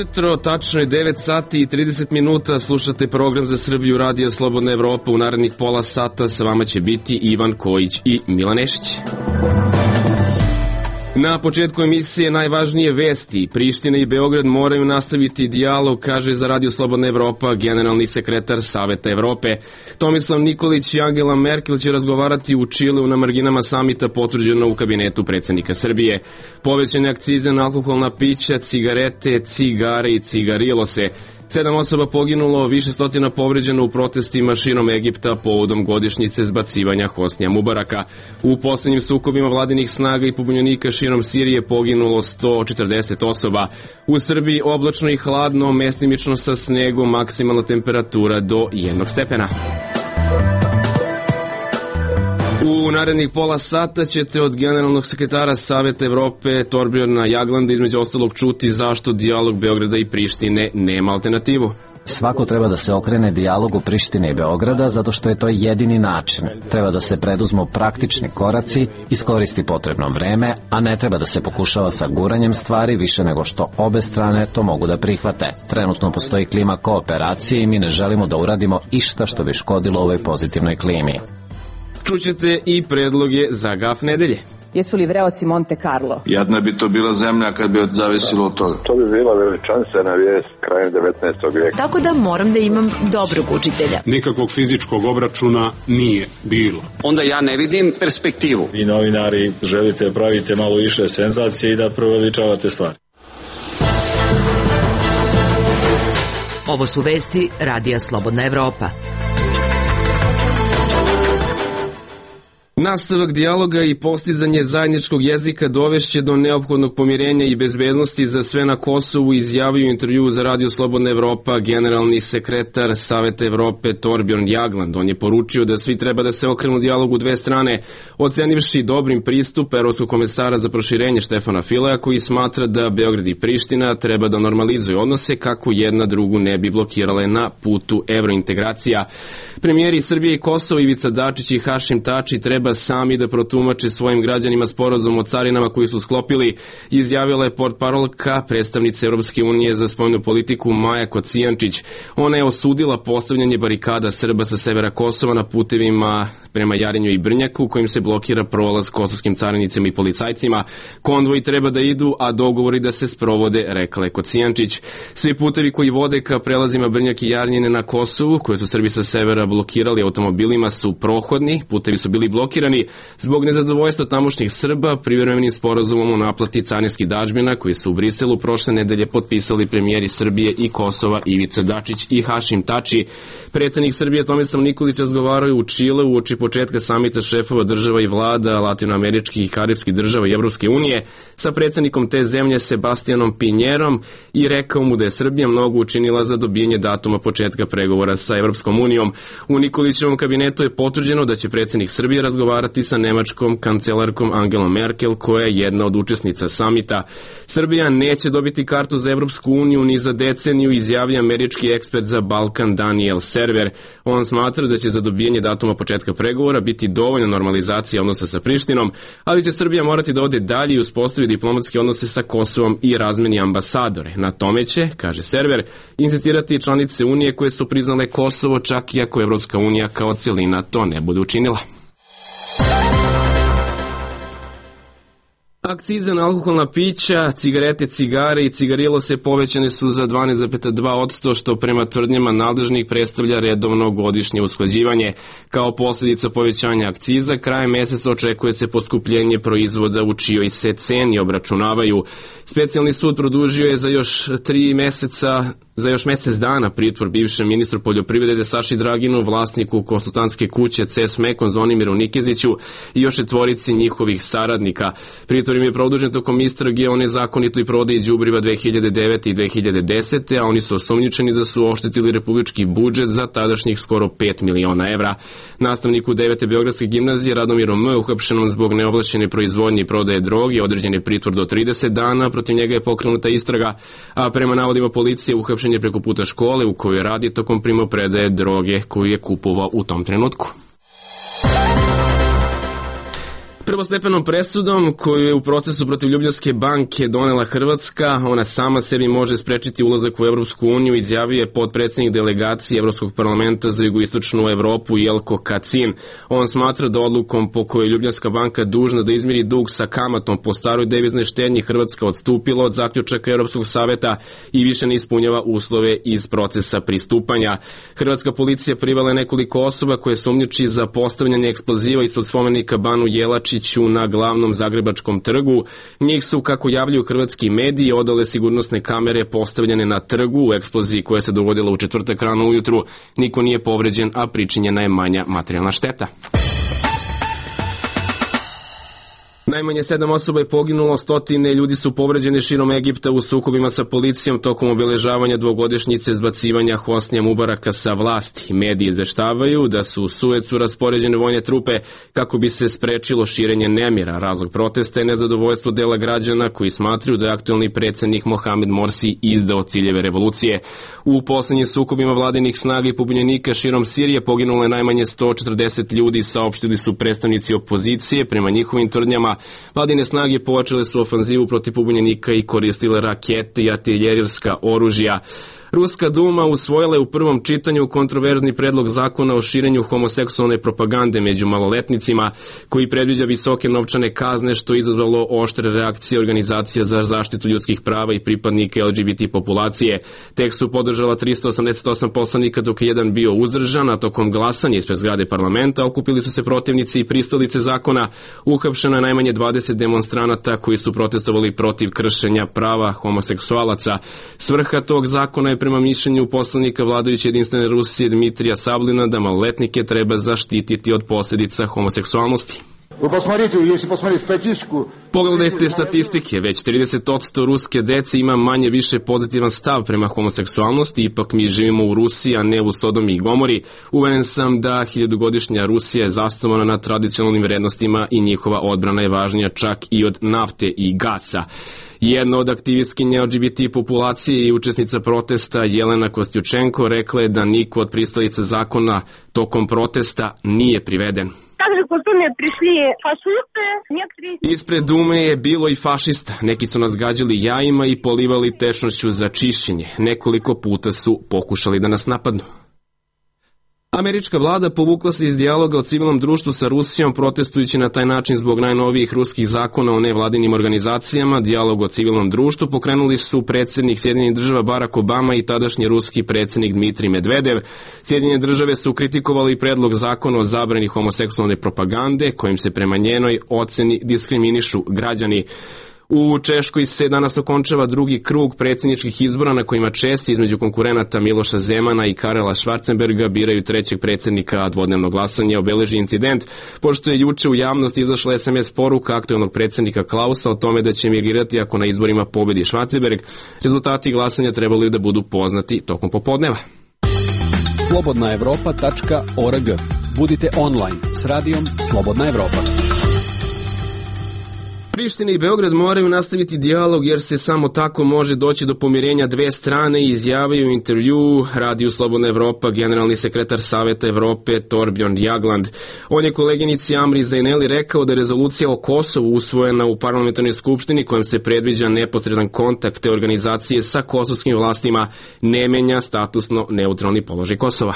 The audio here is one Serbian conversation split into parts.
ujutro, tačno je 9 sati i 30 minuta, slušate program za Srbiju Radio Slobodna Evropa. U narednih pola sata sa vama će biti Ivan Kojić i Milan Nešić. Na početku emisije najvažnije vesti. Priština i Beograd moraju nastaviti dijalog, kaže za Radio Slobodna Evropa generalni sekretar Saveta Evrope. Tomislav Nikolić i Angela Merkel će razgovarati u Čileu na marginama samita potvrđeno u kabinetu predsjednika Srbije. Povećane akcize na alkoholna pića, cigarete, cigare i cigarilose. 7 osoba poginulo, više stotina povređeno u protestima širom Egipta povodom godišnjice zbacivanja Hosnija Mubaraka. U posljednjim sukobima vladinih snaga i pobunjenika širom Sirije poginulo 140 osoba. U Srbiji oblačno i hladno, mestimično sa snegom, maksimalna temperatura do 1 stepena. U narednih pola sata ćete od generalnog sekretara Saveta Evrope Torbjorna Jaglanda između ostalog čuti zašto dijalog Beograda i Prištine nema alternativu. Svako treba da se okrene dijalogu Prištine i Beograda zato što je to jedini način. Treba da se preduzmu praktični koraci, iskoristi potrebno vreme, a ne treba da se pokušava sa guranjem stvari više nego što obe strane to mogu da prihvate. Trenutno postoji klima kooperacije i mi ne želimo da uradimo išta što bi škodilo ovoj pozitivnoj klimi. Čućete i predloge za gaf nedelje. Jesu li vreoci Monte Carlo? Jadna bi to bila zemlja kad bi zavisilo od toga. To bi bila veličanstvena vijest krajem 19. vijeka. Tako da moram da imam dobrog učitelja. Nikakvog fizičkog obračuna nije bilo. Onda ja ne vidim perspektivu. Vi novinari želite pravite malo više senzacije i da proveličavate stvari. Ovo su vesti Radija Slobodna Evropa. Nastavak dijaloga i postizanje zajedničkog jezika dovešće do neophodnog pomirenja i bezbednosti za sve na Kosovu, izjavio u intervjuu za Radio Slobodna Evropa generalni sekretar Saveta Evrope Torbjorn Jagland. On je poručio da svi treba da se okrenu dijalogu dve strane, ocenivši dobrim pristup evropskog komesara za proširenje Štefana Fileja, koji smatra da Beograd i Priština treba da normalizuju odnose kako jedna drugu ne bi blokirale na putu evrointegracija. Premijeri Srbije i Kosova Ivica Dačić i Hašim Tači treba sami da protumače svojim građanima sporazum o carinama koji su sklopili, izjavila je portparolka predstavnice Europske unije za spoljnu politiku Maja Kocijančić. Ona je osudila postavljanje barikada Srba sa severa Kosova na putevima prema Jarinju i Brnjaku, kojim se blokira prolaz kosovskim carinicima i policajcima. Konvoji treba da idu, a dogovori da se sprovode, rekla je Kocijančić. Svi putevi koji vode ka prelazima Brnjak i Jarnjine na Kosovu, koje su Srbi sa severa blokirali automobilima, su prohodni. Putevi su bili blokirani zbog nezadovoljstva tamošnjih Srba privremenim sporazumom o naplati carinskih dažbina koji su u Briselu prošle nedelje potpisali premijeri Srbije i Kosova Ivica Dačić i Hašim Tači. Predsjednik Srbije Tomislav Nikolić razgovarao u Čileu uoči početka samita šefova država i vlada latinoameričkih i karibskih država i Evropske unije sa predsjednikom te zemlje Sebastianom Pinjerom i rekao mu da je Srbija mnogo učinila za dobijanje datuma početka pregovora sa Evropskom unijom. U Nikolićevom kabinetu je potvrđeno da će predsjednik Srbije razgovarati sa nemačkom kancelarkom Angelom Merkel, koja je jedna od učesnica samita. Srbija neće dobiti kartu za Evropsku uniju ni za deceniju, izjavlja američki ekspert za Balkan Daniel Server. On smatra da će za dobijanje datuma početka pregovora biti dovoljna normalizacija odnosa sa Prištinom, ali će Srbija morati da ode dalje i uspostavi diplomatske odnose sa Kosovom i razmeni ambasadore. Na tome će, kaže Server, insistirati članice Unije koje su priznale Kosovo, čak i ako Evropska unija kao celina to ne bude učinila. Akcize na alkoholna pića, cigarete, cigare i cigarilose povećane su za 12,2%, što prema tvrdnjama nadležnih predstavlja redovno godišnje usklađivanje. Kao posljedica povećanja akciza, krajem meseca očekuje se poskupljenje proizvoda u čijoj se ceni obračunavaju. Specijalni sud produžio je za još mjesec dana pritvor bivšem ministru poljoprivrede Saši Draginu, vlasniku konsultantske kuće CS Mekon Zvonimiru Nikeziću i još 4 njihovih saradnika. Pritvor im je produžen tokom istrage o nezakonitoj prodaji đubriva 2009. i 2010. a oni su osumnjičeni da su oštetili republički budžet za tadašnjih skoro 5 miliona evra. Nastavniku 9. Beogradske gimnazije Radomiru M. uhapšenom zbog neovlašćene proizvodnje i prodaje droge određen je pritvor do 30 dana, protiv njega je pokrenuta istraga, a prema navodima policije uhapšen je preko puta škole u kojoj radi tokom primopredaje droge koju je kupovao u tom trenutku. Prvostepenom presudom koju je u procesu protiv Ljubljanske banke donela Hrvatska, ona sama sebi može sprečiti ulazak u Evropsku uniju, izjavio je potpredsednik delegacije Evropskog parlamenta za jugoistočnu Evropu Jelko Kacin. On smatra da odlukom po kojoj Ljubljanska banka dužna da izmiri dug sa kamatom po staroj deviznoj štednji Hrvatska odstupila od zaključaka Evropskog saveta i više ne ispunjava uslove iz procesa pristupanja. Hrvatska policija privala je nekoliko osoba koje sumnjiči za postavljanje eksploziva ispod spomenika Banu Jelačiću na glavnom Zagrebačkom trgu. Njih su, kako javljaju hrvatski mediji, odale sigurnosne kamere postavljene na trgu. U eksploziji koja se dogodila u četvrtak rano ujutru niko nije povređen, a pričinjena je manja materijalna šteta. Najmanje 7 osoba je poginulo, stotine ljudi su povređeni širom Egipta u sukobima sa policijom tokom obeležavanja dvogodišnjice zbacivanja Hosnija Mubaraka sa vlasti. Mediji izveštavaju da su u Suecu raspoređene vojne trupe kako bi se sprečilo širenje nemira. Razlog protesta je nezadovoljstvo dela građana koji smatraju da je aktuelni predsednik Mohamed Morsi izdao ciljeve revolucije. U poslednjim sukobima vladinih snaga i pobunjenika širom Sirije poginulo je najmanje 140 ljudi, saopštili su predstavnici opozicije. Prema njihovim tvrdnjama, vladine snage počele su ofanzivu protiv pobunjenika i koristile rakete i artiljerijska oružja. Ruska Duma usvojila je u prvom čitanju kontroverzni predlog zakona o širenju homoseksualne propagande među maloletnicima, koji predviđa visoke novčane kazne, što je izazvalo oštre reakcije organizacija za zaštitu ljudskih prava i pripadnika LGBT populacije. Tekst su podržala 388 poslanika, dok je jedan bio uzdržan, a tokom glasanja ispred zgrade parlamenta okupili su se protivnici i pristalice zakona. Uhapšeno je najmanje 20 demonstranata koji su protestovali protiv kršenja prava homoseksualaca. Svrha tog zakona je prema mišljenju poslanika vladajuće Jedinstvene Rusije Dmitrija Sablina da maloletnike treba zaštititi od posljedica homoseksualnosti. Pogledajte statistike, već 30% ruske dece ima manje više pozitivan stav prema homoseksualnosti, ipak mi živimo u Rusiji, a ne u Sodomi i Gomori. Uveren sam da hiljadugodišnja Rusija je zasnovana na tradicionalnim vrednostima i njihova odbrana je važnija čak i od nafte i gasa. Jedna od aktivistkinja LGBT populacije i učesnica protesta Jelena Kostjučenko rekla je da niko od pristalica zakona tokom protesta nije priveden. Ispred Dume je bilo i fašista. Neki su nas gađali jajima i polivali tečnošću za čišćenje. Nekoliko puta su pokušali da nas napadnu. Američka vlada povukla se iz dijaloga o civilnom društvu sa Rusijom, protestujući na taj način zbog najnovijih ruskih zakona o nevladinim organizacijama. Dijalog o civilnom društvu pokrenuli su predsjednik Sjedinjenih država Barack Obama i tadašnji ruski predsjednik Dmitrij Medvedev. Sjedinjene države su kritikovali predlog zakona o zabrani homoseksualne propagande, kojim se prema njenoj oceni diskriminišu građani. U Češkoj se danas okončava drugi krug predsjedničkih izbora na kojima Česi između konkurenata Miloša Zemana i Karela Schwarzenberga biraju trećeg predsjednika, a dvodnevno glasanje obeleži incident, pošto je juče u javnost izašla SMS poruka aktuelnog predsjednika Klausa o tome da će emigrirati ako na izborima pobedi Schwarzenberg. Rezultati glasanja trebali da budu poznati tokom popodneva. slobodnaevropa.org. Budite online s radijom Slobodna Evropa. Priština i Beograd moraju nastaviti dijalog jer se samo tako može doći do pomirenja dve strane, izjavio u intervju Radiju Slobodna Evropa generalni sekretar Saveta Evrope Torbjörn Jagland. On je koleginici Amri Zaineli rekao da je rezolucija o Kosovu usvojena u parlamentarnoj skupštini kojom se predviđa neposredan kontakt te organizacije sa kosovskim vlastima ne menja statusno neutralni položaj Kosova.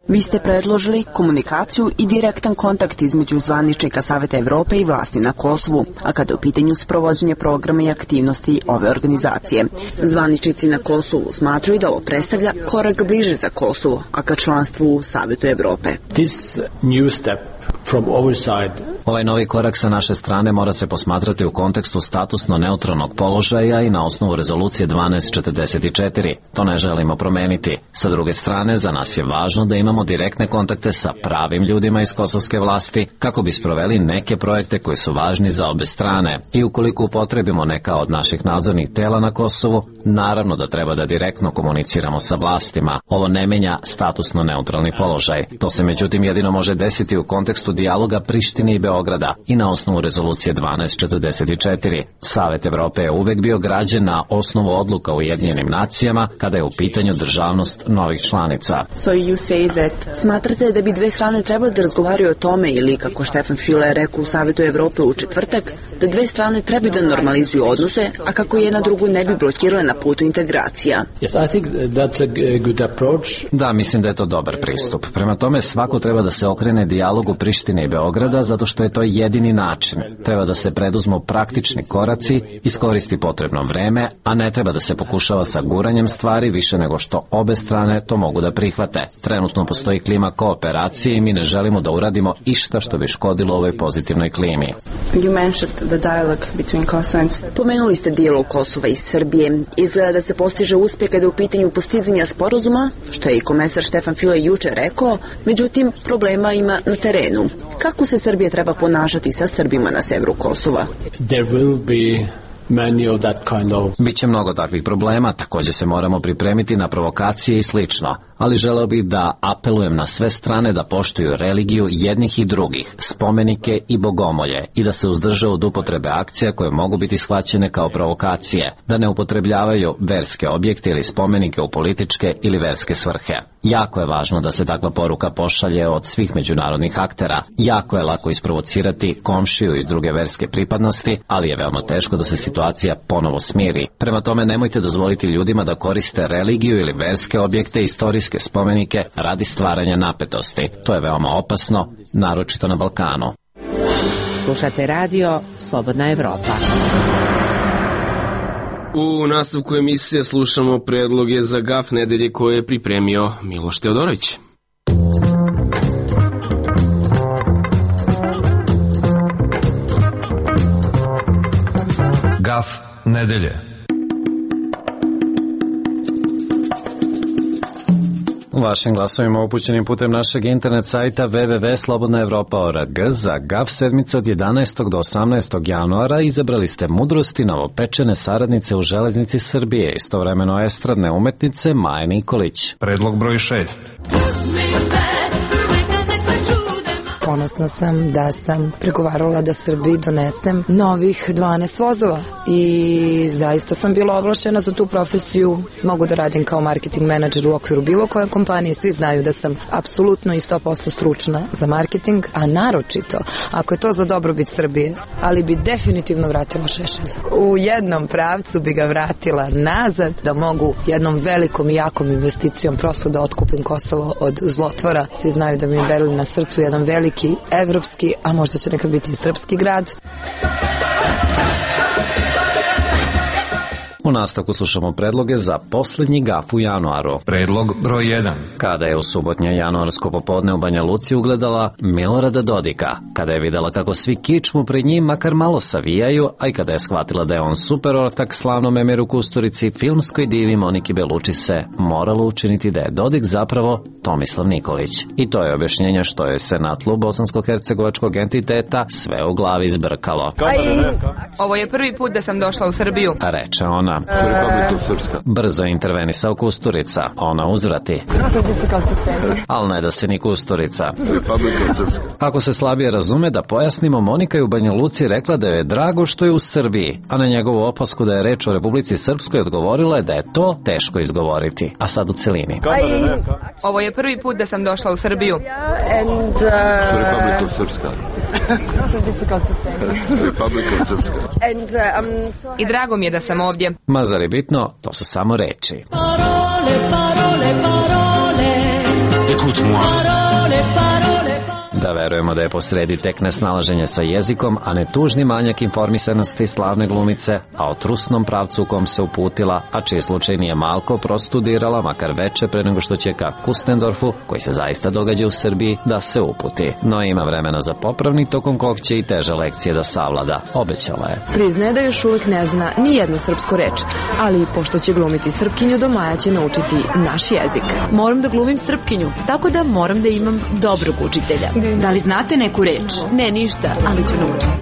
Vi ste predložili komunikaciju i direktan kontakt između zvaničnika Saveta Evrope i vlasti na Kosovu, a kada je u pitanju sprovođenje programa i aktivnosti ove organizacije. Zvaničnici na Kosovu smatraju da ovo predstavlja korak bliže za Kosovo, a ka članstvu u Savetu Evrope. This new step from our side. Ovaj novi korak sa naše strane mora se posmatrati u kontekstu statusno neutralnog položaja i na osnovu rezolucije 1244. To ne želimo promeniti. Sa druge strane, za nas je važno da imamo direktne kontakte sa pravim ljudima iz kosovske vlasti kako bi sproveli neke projekte koji su važni za obe strane. I ukoliko upotrebimo neka od naših nadzornih tela na Kosovu, naravno da treba da direktno komuniciramo sa vlastima. Ovo ne menja statusno neutralni položaj. To se međutim jedino može desiti u kontekstu dijaloga Prištine i Beograda. Beograda i na osnovu rezolucije 1244. Savet Evrope je uvek bio građen na osnovu odluka u Ujedinjenim nacijama kada je u pitanju državnost novih članica. Smatrate da bi dve strane trebali da razgovaraju o tome ili, kako Stefan Füle rekao u Savetu Evrope u četvrtak, da dve strane trebaju da normalizuju odnose, a kako jedna drugu ne bi blokirale na putu integracija? Da, mislim da je to dobar pristup. Prema tome, svako treba da se okrene dijalogu Prištine i Beograda zato što je to jedini način. Treba da se preduzmu praktični koraci, iskoristi potrebno vreme, a ne treba da se pokušava sa guranjem stvari više nego što obe strane to mogu da prihvate. Trenutno postoji klima kooperacije i mi ne želimo da uradimo išta što bi škodilo ovoj pozitivnoj klimi. Pomenuli ste dijalog Kosova i Srbije. Izgleda da se postiže uspeh kada je u pitanju postizanja sporazuma, što je i komesar Stefan Füle juče rekao, međutim problema ima na terenu. Kako se Srbija treba ponašati sa Srbima na severu Kosova? Biće mnogo takvih problema, također se moramo pripremiti na provokacije i slično, ali želeo bih da apelujem na sve strane da poštuju religiju jednih i drugih, spomenike i bogomolje i da se uzdrže od upotrebe akcija koje mogu biti shvaćene kao provokacije, da ne upotrebljavaju verske objekte ili spomenike u političke ili verske svrhe. Jako je važno da se takva poruka pošalje od svih međunarodnih aktera. Jako je lako isprovocirati komšiju iz druge verske pripadnosti, ali je veoma teško da se situacija ponovo smiri. Prema tome, nemojte dozvoliti ljudima da koriste religiju ili verske objekte, istorijske spomenike radi stvaranja napetosti. To je veoma opasno, naročito na Balkanu. Slušate radio Slobodna Evropa. U nastavku emisije slušamo predloge za GAF nedelje koje je pripremio Miloš Teodorović. GAF nedelje. Vašim glasovima upućenim putem našeg internet sajta www.slobodnaevropa.org za GAF sedmice od 11. do 18. januara izabrali ste mudrosti novopečene saradnice u Železnici Srbije, istovremeno estradne umetnice Maje Nikolić. Predlog broj 6. Ponosna sam da sam pregovarala da Srbiji donesem novih 12 vozova i zaista sam bila ovlašćena za tu profesiju. Mogu da radim kao marketing menadžer u okviru bilo koje kompanije. Svi znaju da sam apsolutno i 100% stručna za marketing, a naročito ako je to za dobrobit Srbije, ali bi definitivno vratila Šešelja. U jednom pravcu bi ga vratila nazad, da mogu jednom velikom i jakom investicijom prosto da otkupim Kosovo od zlotvora. Svi znaju da mi je Berlin na srcu, jedan veliki evropski, a možda će nekad biti i srpski grad. U nastavku slušamo predloge za poslednji GAF u januaru. Predlog broj 1. Kada je u subotnje januarsko popodne u Banja Luci ugledala Milorada Dodika, kada je videla kako svi kičmu pred njim makar malo savijaju, a i kada je shvatila da je on super ortak slavnom Emiru Kusturici, filmskoj divi Moniki Beluči se moralo učiniti da je Dodik zapravo Tomislav Nikolić. I to je objašnjenje što je se na tlu bosansko-hercegovačkog entiteta sve u glavi zbrkalo. Ovo je prvi put da sam došla u Srbiju, reče ona. Brzo je intervenisao Kusturica. Ona uzvrati. Ali ne da se ni Kusturica. Ako se slabije razume, da pojasnimo, Monika je u Banja Luci rekla da je drago što je u Srbiji, a na njegovu opasku da je reč o Republici Srpskoj odgovorila je da je to teško izgovoriti. A sad u celini. Ovo je prvi put da sam došla u Srbiju. I drago mi je da sam ovdje. Ma zar je bitno, to su samo reči. Da verujemo da je posredi tek nesnalaženje sa jezikom, a ne tužni manjak informisanosti slavne glumice, a o trusnom pravcu u kom se uputila, a čiji slučaj nije malko prostudirala, makar veče pre nego što će ka Kustendorfu, koji se zaista događa u Srbiji, da se uputi. No ima vremena za popravni, tokom kog će i teže lekcije da savlada, obećala je. Priznaje da još uvek ne zna ni jednu srpsku reč, ali pošto će glumiti Srpkinju, do maja će naučiti naš jezik. Moram da glumim Srpkinju, tako da moram da imam dobrog učitelja. Da li znate neku reč? Ne, ništa, ali ću naučiti.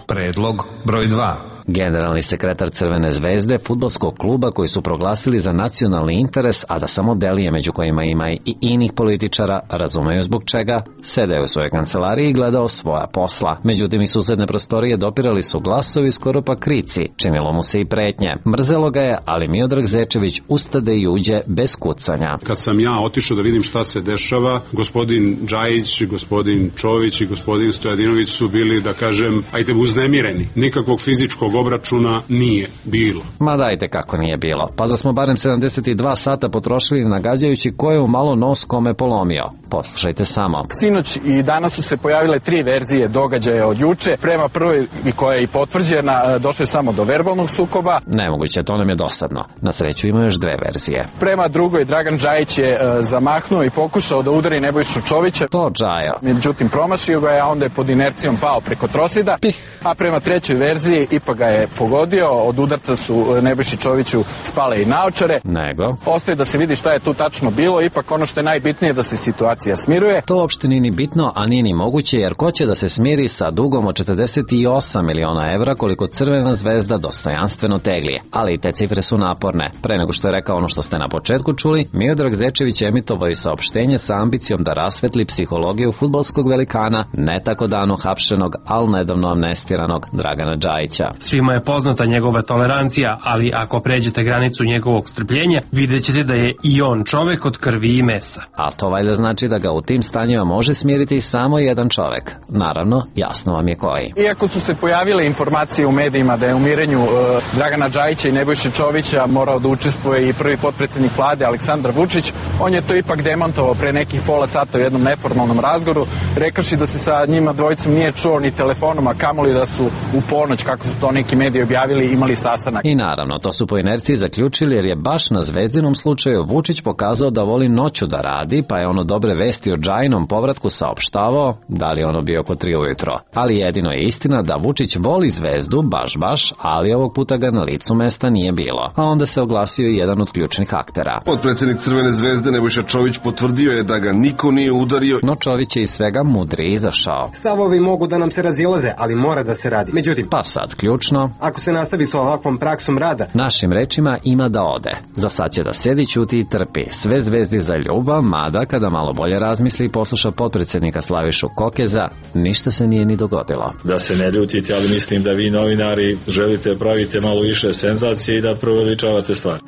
Predlog broj 2. Generalni sekretar Crvene zvezde, fudbalskog kluba koji su proglasili za nacionalni interes, a da samo delije među kojima ima i inih političara, razumeju zbog čega, sedeo u svojoj kancelariji i gledao svoja posla. Međutim, iz susedne prostorije dopirali su glasovi, skoro pa krici, činilo mu se i pretnje. Mrzelo ga je, ali Miodrag Zečević ustade i uđe bez kucanja. Kad sam ja otišao da vidim šta se dešava, gospodin Džajić, gospodin Čović i gospodin Stojadinović su bili, da kažem, ajde uznemireni. Nikakvog fizičkog obračuna nije bilo. Ma dajte kako nije bilo. Pa da smo barem 72 sata potrošili nagađajući ko je u malo nos kome polomio. Poslušajte samo. Sinoć i danas su se pojavile 3 verzije događaja od juče. Prema prvoj, koja je i potvrđena, došlo samo do verbalnog sukoba. Nemoguće, to nam je dosadno. Na sreću ima još 2 verzije. Prema drugoj, Dragan Džajić je zamahnuo i pokušao da udari Nebojšu Čovića. To Džajo. Međutim, promašio ga je, a onda je pod inercijom pao preko trosida. A prema trećoj verziji ipak ga je pogodio. Od udarca su Nebojši Čoviću spale i naočare. Nego? Ostaje da se vidi šta je tu tačno bilo. Ipak ono što je najbitnije da se situacija smiruje. To uopšte nije ni bitno, a nije ni moguće, jer ko će da se smiri sa dugom od 48 miliona evra koliko Crvena zvezda dostojanstveno teglije. Ali i te cifre su naporne. Pre nego što je rekao ono što ste na početku čuli, Miodrag Zečević emitovao i saopštenje sa ambicijom da rasvetli psihologiju fudbalskog velikana, ne tako davno hapšenog, ali nedavno amnestiranog Dragana Džajića. Svima je poznata njegova tolerancija, ali ako pređete granicu njegovog strpljenja, vidjet ćete da je i on čovek od krvi i mesa. A to valjda znači da ga u tim stanjima može smiriti samo jedan čovek. Naravno, jasno vam je koji. Iako su se pojavile informacije u medijima da je u mirenju Dragana Džajića i Nebojše Čovića morao da učestvuje i prvi potpredsednik vlade Aleksandar Vučić, on je to ipak demantovao pre nekih pola sata u jednom neformalnom razgovoru, rekavši da se sa njima dvojicom nije čuo ni telefonom, a kamoli da su u ponoć, kako su to neki mediji objavili, imali sastanak. I naravno, to su po inerciji zaključili jer je baš na Zvezdinom slučaju Vučić pokazao da voli noću da radi, pa je ono dobre vesti o Džajinom povratku saopštavao, da li ono bio oko 3 ujutro. Ali jedino je istina da Vučić voli Zvezdu, baš, ali ovog puta ga na licu mesta nije bilo. A onda se oglasio i jedan od ključnih aktera. Potpredsednik Crvene zvezde Nebojša Čović potvrdio je da ga niko nije udario. No Čović je iz svega mudri izašao. Stavovi mogu da nam se razilaze, ali mora da se radi. Međutim, pa sad ključno, ako se nastavi sa ovakvom praksom rada, našim rečima ima da ode. Za sad će da sedi, ćuti i trpi. Sve Zvezdi za ljubav, mada kada malo bolje razmisli i posluša potpredsednika Slavišu Kokeza, ništa se nije ni dogodilo. Da se ne ljutite, ali mislim da vi novinari želite pravite malo više senzacije i da proveličavate stvar.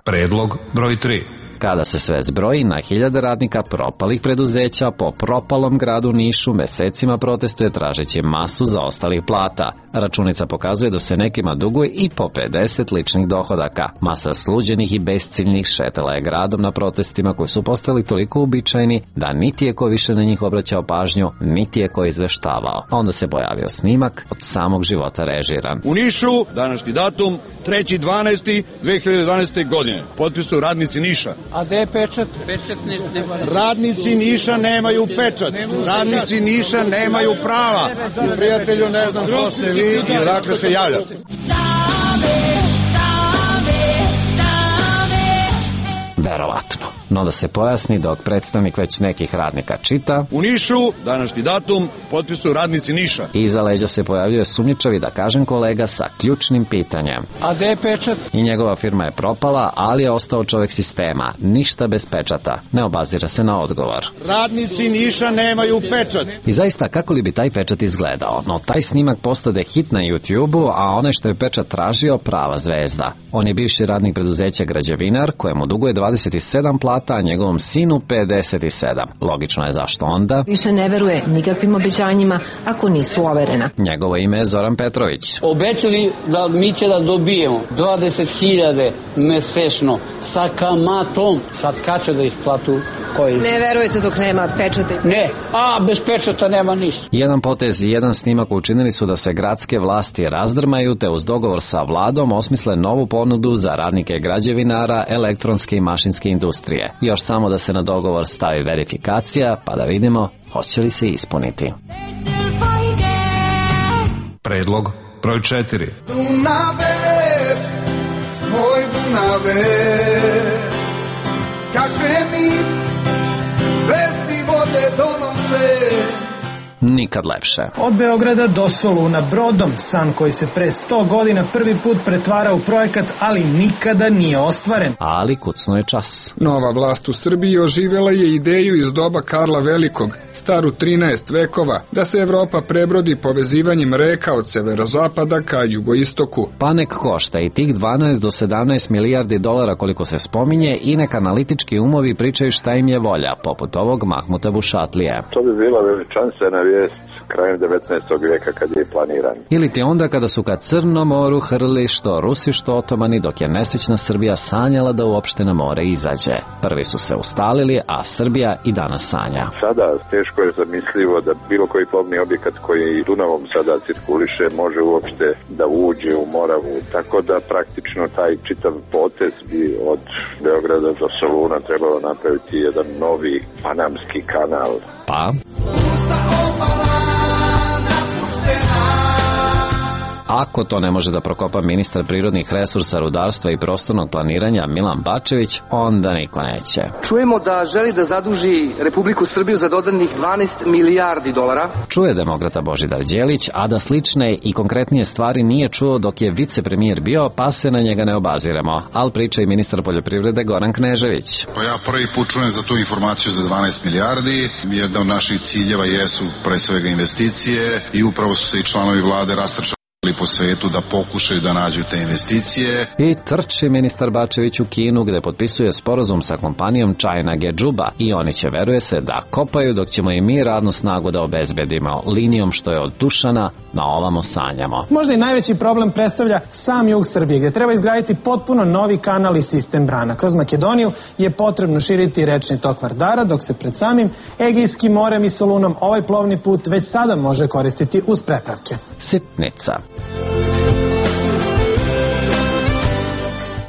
Predlog broj 3. Kada se sve zbroji, na hiljade radnika propalih preduzeća po propalom gradu Nišu mesecima protestuje tražeći masu zaostalih plata. Računica pokazuje da se nekima duguje i po 50 ličnih dohodaka. Masa sluđenih i besciljnih šetala je gradom na protestima koji su postali toliko uobičajeni da niti je ko više na njih obraćao pažnju, niti je ko izveštavao. Onda se pojavio snimak od samog života režiran. U Nišu, današnji datum, 3.12.2012. godine. Potpisuju radnici Niša. A gde je pečat? Pečat radnici Niša nemaju pečat. Radnici Niša nemaju prava. Prijatelju, ne znam ko ste vi i odakle se javljate. Verovatno. No da se pojasni dok predstavnik već nekih radnika čita. U Nišu, današnji datum, potpisuju radnici Niša. Iza leđa se pojavljuje sumnjičavi, da kažem kolega, sa ključnim pitanjem. A gde je pečat? I njegova firma je propala, ali je ostao čovek sistema. Ništa bez pečata. Ne obazira se na odgovor. Radnici Niša nemaju pečat. I zaista, kako li bi taj pečat izgledao? No, taj snimak postade hit na YouTube-u, a onaj što je pečat tražio, prava zvezda. On je bivši radnik preduzeća Građevinar, kojemu duguje 27 plata, a njegovom sinu 57. Logično je zašto onda više ne veruje nikakvim obećanjima ako nisu overena. Njegovo ime je Zoran Petrović. Obećali da mi će da dobijemo 20.000 mesečno sa kamatom. Sad kad će da ih platu? Koji? Ne verujete dok nema pečata? Ne, bez pečata nema ništa. Jedan potez i jedan snimak učinili su da se gradske vlasti razdrmaju, te uz dogovor sa vladom osmisle novu ponudu za radnike građevinara, elektronske i mašinske industrije. Još samo da se na dogovor stavi verifikacija, pa da vidimo hoće li se ispuniti. Predlog broj 4. Dunave, moj Dunave, kakve mi vesti vode donose. nikad lepše. Od Beograda do Soluna brodom, san koji se pre 100 godina prvi put pretvara u projekat, ali nikada nije ostvaren. Ali kucno je čas. Nova vlast u Srbiji oživjela je ideju iz doba Karla Velikog, staru 13 vekova, da se Evropa prebrodi povezivanjem reka od severozapada ka jugoistoku. Pa nek košta i tih 12 do 17 milijardi dolara koliko se spominje i nek analitički umovi pričaju šta im je volja, poput ovog Mahmuta Vušatlije. To bi bila veličanstvena vijest krajem 19. vijeka kad je planiran. Ili ti onda kada su ka Crnom moru hrli što Rusi što Otomani, dok je nesrećna Srbija sanjala da uopšte na more izađe. Prvi su se ustalili, a Srbija i danas sanja. Sada teško je zamislivo da bilo koji plovni objekat koji Dunavom sada cirkuliše može uopšte da uđe u Moravu. Tako da praktično taj čitav potez bi od Beograda do Soluna trebalo napraviti jedan novi panamski kanal. Pa? Ako to ne može da prokopa ministar prirodnih resursa, rudarstva i prostornog planiranja Milan Bačević, onda niko neće. Čujemo da želi da zaduži Republiku Srbiju za dodatnih 12 milijardi dolara. Čuje demokrata Božidar Đelić, a da slične i konkretnije stvari nije čuo dok je vicepremijer bio, pa se na njega ne obaziremo. Al priča i ministar poljoprivrede Goran Knežević. Pa ja prvi put čujem za tu informaciju za 12 milijardi. Jedna od naših ciljeva jesu pre svega investicije i upravo su se i članovi vlade rastrčali po svetu da pokušaju da nađu te investicije. I trči ministar Bačević u Kinu gde potpisuje sporazum sa kompanijom China Gejuba i oni će, veruje se, da kopaju dok ćemo i mi radnu snagu da obezbedimo linijom što je od Dušana na ovamo sanjamo. Možda i najveći problem predstavlja sam jug Srbije gde treba izgraditi potpuno novi kanal i sistem brana. Kroz Makedoniju je potrebno širiti rečni tok Vardara, dok se pred samim Egejskim morem i Solunom ovaj plovni put već sada može koristiti uz prepravke. Sitnica.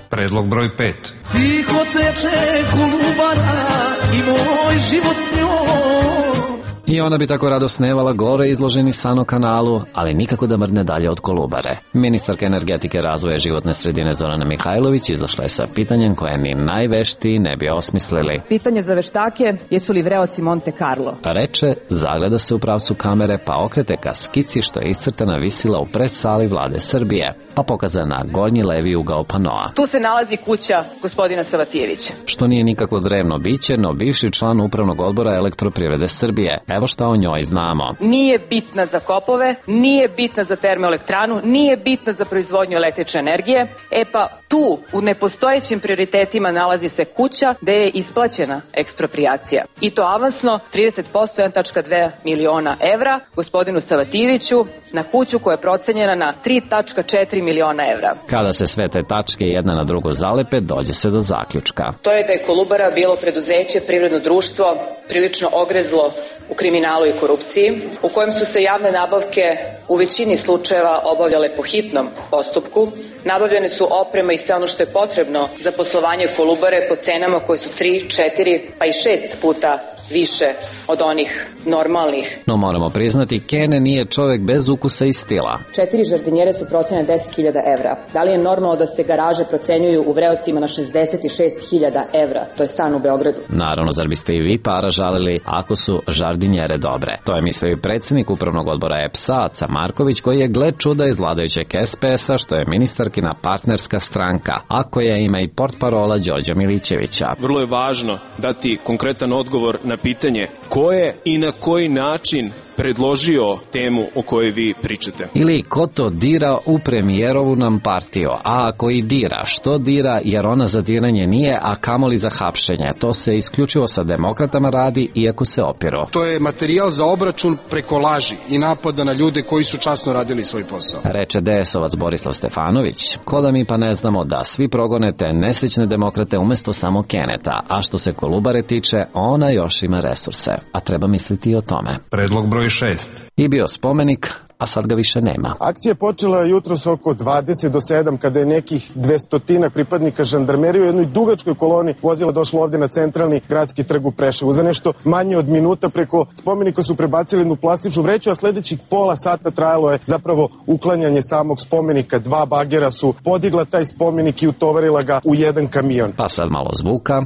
Predlog broj 5. Tiho teče Kolubara i moj život s njom. I ona bi tako rado snevala gore izloženi san o kanalu, ali nikako da mrdne dalje od Kolubare. Ministarka energetike, razvoja životne sredine Zorana Mihajlović izašla je sa pitanjem koje ni najveštiji ne bi osmislili. Pitanje za veštake, jesu li vreoci Monte Carlo? Reče, zagleda se u pravcu kamere, pa okrete ka skici što je iscrtana visila u pres-sali vlade Srbije, pa pokazana gornji levi ugao panoa. Tu se nalazi kuća gospodina Savatijevića. Što nije nikakvo drevno biće, no bivši član upravnog odbora Elektroprivrede Srbije. Evo šta o njoj znamo. Nije bitna za kopove, nije bitna za termoelektranu, nije bitna za proizvodnju električne energije. E pa tu u nepostojećim prioritetima nalazi se kuća gde je isplaćena eksproprijacija. I to avansno 30%, 1,2 miliona evra gospodinu Savatijeviću na kuću koja je procenjena na 3,4 miliona evra. Kada se sve te tačke jedna na drugu zalepe, dođe se do zaključka. To je da je Kolubara bilo preduzeće, privredno društvo, prilično ogrezlo u kriminalu i korupciji, u kojem su se javne nabavke u većini slučajeva obavljale po hitnom postupku. Nabavljene su oprema i sve ono što je potrebno za poslovanje Kolubare po cenama koje su 3, 4 pa i 6 puta više od onih normalnih. No moramo priznati, Kene nije čovek bez ukusa i stila. 4 žardinjere su procenjene 10.000 evra. Da li je normalno da se garaže procenjuju u Vreocima na 66.000 evra? To je stan u Beogradu. Naravno, zar biste i vi para žalili ako su žardinjere dobre? To je mislio i predsjednik upravnog odbora EPS-a, Aca Marković, koji je, gle čuda, iz vladajućeg SPS-a, što je ministarkina partnerska stranka, a koja ima i portparola Đorđa Milićevića. Vrlo je važno dati konkretan odgovor na pitanje ko je i na koji način predložio temu o kojoj vi pričate. Ili ko to dira u premijerovu nam partiju, a ako i dira, što dira, jer ona za diranje nije, a kamoli za hapšenje. To se isključivo sa demokratama radi, iako se opiru. To je materijal za obračun preko laži i napada na ljude koji su časno radili svoj posao. Reče DS-ovac Borislav Stefanović. Ko da mi pa ne znamo da svi progonete nesrećne demokrate umesto samo Keneta, a što se Kolubare tiče, ona još ima resurse. A treba misliti i o tome. Predlog broj 6. I bio spomenik, a sad ga više nema. Akcija je počela jutros oko 20 do 7 kada je nekih 200 pripadnika žandarmerije u jednoj dugačkoj koloni vozila došlo ovde na centralni gradski trg u Preševu. Za nešto manje od minuta preko spomenika su prebacili jednu plastičnu vreću, a sledećih pola sata trajalo je zapravo uklanjanje samog spomenika. 2 bagera su podigla taj spomenik i utovarila ga u jedan kamion. Pa sad malo zvuka.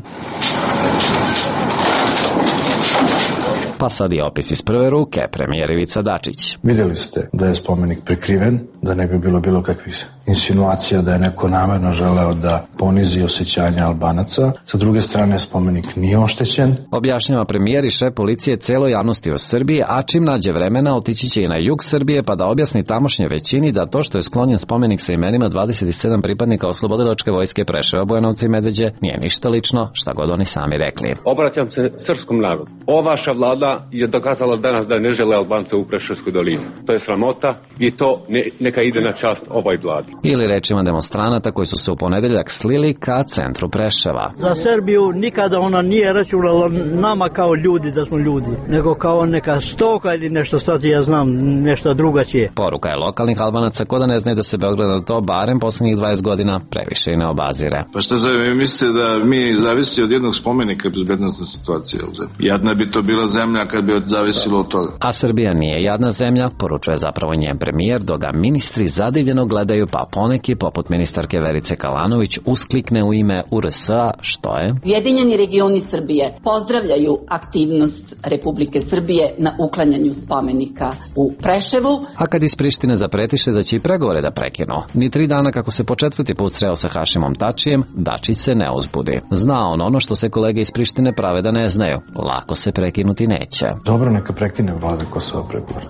Pa sad i opis iz prve ruke, premijer Ivica Dačić. Vidjeli ste da je spomenik prikriven, da ne bi bilo kakvih insinuacija da je neko namerno želeo da ponizi osjećanja Albanaca. Sa druge strane, spomenik nije oštećen. Objašnjava premijer i šef policije celoj javnosti u Srbiji, a čim nađe vremena otići će i na jug Srbije pa da objasni tamošnje većini da to što je sklonjen spomenik sa imenima 27 pripadnika Oslobodilačke vojske Preševa, Bujanovca i Medveđe nije ništa lično, šta god oni sami rekli. Obraćam se srpskom narodu. Ova vaša vlada je dokazala danas da ne žele Albance u Preševskoj dolini. To je sramota i to neka ide na čast ovoj vladi. Ili rečima demonstranata koji su se u ponedeljak slili ka centru Preševa. Za Srbiju nikada ona nije računala nama kao ljudi da smo ljudi, nego kao neka stoka ili nešto, sad ja znam nešto drugačije. Poruka je lokalnih Albanaca ko da ne znaju da se Beograd na to barem poslednjih 20 godina previše i ne obazire. Pa šta vi mislite da mi zavisi od jednog spomenika bezbednosna situacija? Jadna bi to bila zemlja kad bi zavisilo od toga. A Srbija nije jadna zemlja, poručuje zapravo njen premijer, dok ga ministri zadivljeno gledaju, pa poneki, poput ministarke Verice Kalanović, usklikne u ime URS-a, što je? Ujedinjeni regioni Srbije pozdravljaju aktivnost Republike Srbije na uklanjanju spomenika u Preševu. A kad iz Prištine zapretiše da će i pregovore da prekinu, ni 3 dana kako se po 4. put sreo sa Hašimom Tačijem, Dačić se ne uzbudi. Zna on ono što se kolege iz Prištine prave da ne znaju. Lako se prekinuti neće. Dobro, neka prekine vlada Kosova pregovore.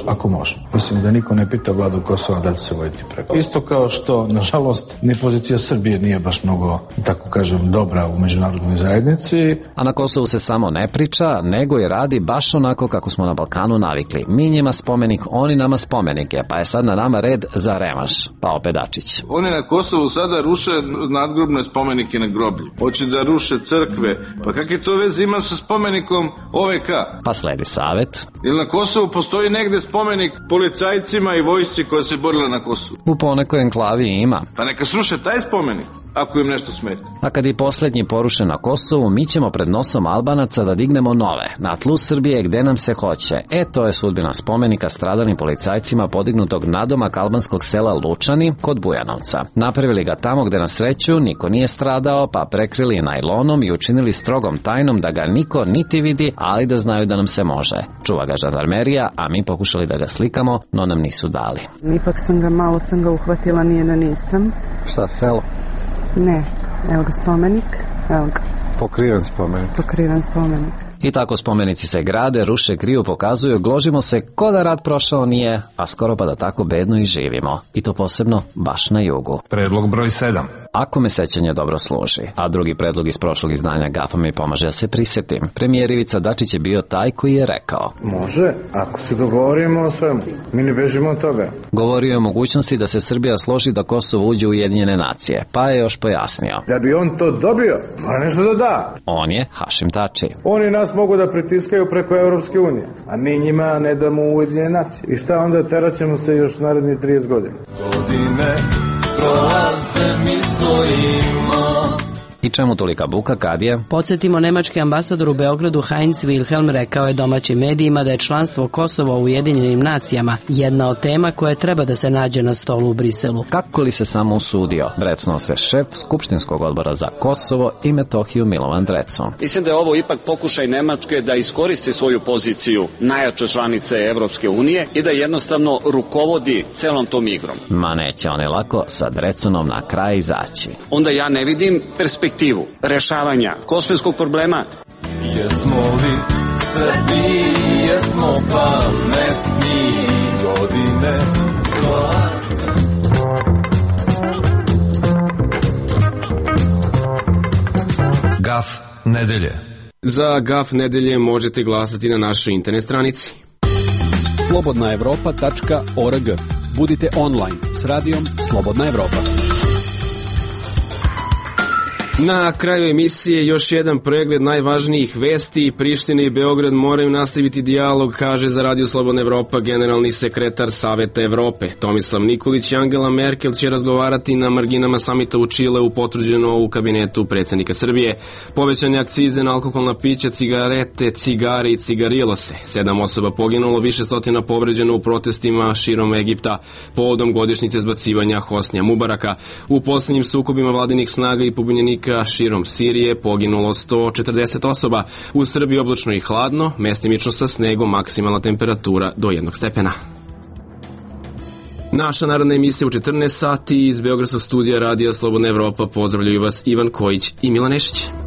Ako može. Mislim da niko ne pita vladu Kosova da će se voditi pregovore. Isto kao što, nažalost, ni pozicija Srbije nije baš mnogo, tako kažem, dobra u međunarodnoj zajednici. A na Kosovu se samo ne priča, nego i radi baš onako kako smo na Balkanu navikli. Mi njima spomenik, oni nama spomenike, pa je sad na nama red za revanš. Pa opet Dačić. Oni na Kosovu sada ruše nadgrobne spomenike na groblju. Hoće da ruše crkve. Pa kakve to veze ima sa spomenikom OVK? Pa sledi savet. Ili na Kosovu postoji negde spomenik policajcima i vojsci koja se borila na Kosovu? U ponekoj enklavi ima. Pa neka sruše taj spomenik, ako im nešto smeta. A kad i poslednji poruše na Kosovu, mi ćemo pred nosom Albanaca da dignemo nove, na tlu Srbije gde nam se hoće. To je sudbina spomenika stradalim policajcima podignutog nadomak albanskog sela Lučani kod Bujanovca. Napravili ga tamo gde na sreću niko nije stradao, pa prekrili najlonom i učinili strogom tajnom da ga niko niti vidi, ali da znaju da nam se može. Čuva ga žandarmerija, a mi pokušali da ga slikamo, no nam nisu dali. Ipak malo sam ga uhvatila, nije da nisam. Šta, selo? Ne, evo ga spomenik, evo ga. Pokriven spomenik. Pokriven spomenik. I tako spomenici se grade, ruše, kriju, pokazuju, gložimo se ko da rat prošao nije, a skoro pa da tako bedno i živimo. I to posebno baš na jugu. Predlog broj 7. Ako me sećanje dobro služi, a drugi predlog iz prošlog izdanja GAF-a mi pomaže da se prisjetim. Premijer Ivica Dačić je bio taj koji je rekao: Može, ako se dogovorimo o svemu, mi ne bežimo od toga. Govorio je o mogućnosti da se Srbija složi da Kosovo uđe u Ujedinjene nacije, pa je još pojasnio. Da bi on to dobio, mora nešto da da. On je Hašim Tači. Oni nas mogu da pritiskaju preko Evropske unije, a mi njima ne damo Ujedinjene nacije. I šta onda, teraćemo se još naredni 30 godina. Godine prolaze, mi stojimo. I čemu tolika buka kad je? Podsjetimo, nemački ambasador u Beogradu Heinz Wilhelm rekao je domaćim medijima da je članstvo Kosova u Ujedinjenim nacijama jedna od tema koja treba da se nađe na stolu u Briselu. Kako li se samo usudio? Brecnuo se šef Skupštinskog odbora za Kosovo i Metohiju Milovan Drecun. Mislim da je ovo ipak pokušaj Nemačke da iskoristi svoju poziciju najjače članice Evropske unije i da jednostavno rukovodi celom tom igrom. Ma neće oni lako sa Drecunom na kraj izaći. Onda ja ne vidim perspektivu rešavanja kosovskog problema. Jesmo li Srbi, jesmo pametni, godine prolaze. GAF nedelje. Za GAF nedelje možete glasati na našoj internet stranici. slobodnaevropa.org. Budite online s radijom Slobodna Evropa. Na kraju emisije još jedan pregled najvažnijih vesti. Priština i Beograd moraju nastaviti dijalog, kaže za Radio Slobodna Evropa generalni sekretar Saveta Evrope. Tomislav Nikolić i Angela Merkel će razgovarati na marginama samita u Čileu, potvrđeno u kabinetu predsjednika Srbije. Povećane akcize na alkoholna pića, cigarete, cigare i cigarilose. 7 osoba poginulo, više stotina povređeno u protestima širom Egipta povodom godišnjice zbacivanja Hosnija Mubaraka. U posljednjim sukobima vladinih snaga i pobunjenika stanovnika, širom Sirije poginulo 140 osoba. U Srbiji oblačno i hladno, mestimično sa snegom, maksimalna temperatura do 1 stepena. Naša narodna emisija u 14 sati iz Beogradskog studija Radija Slobodna Evropa. Pozdravljaju vas Ivan Kojić i Milan Nešić.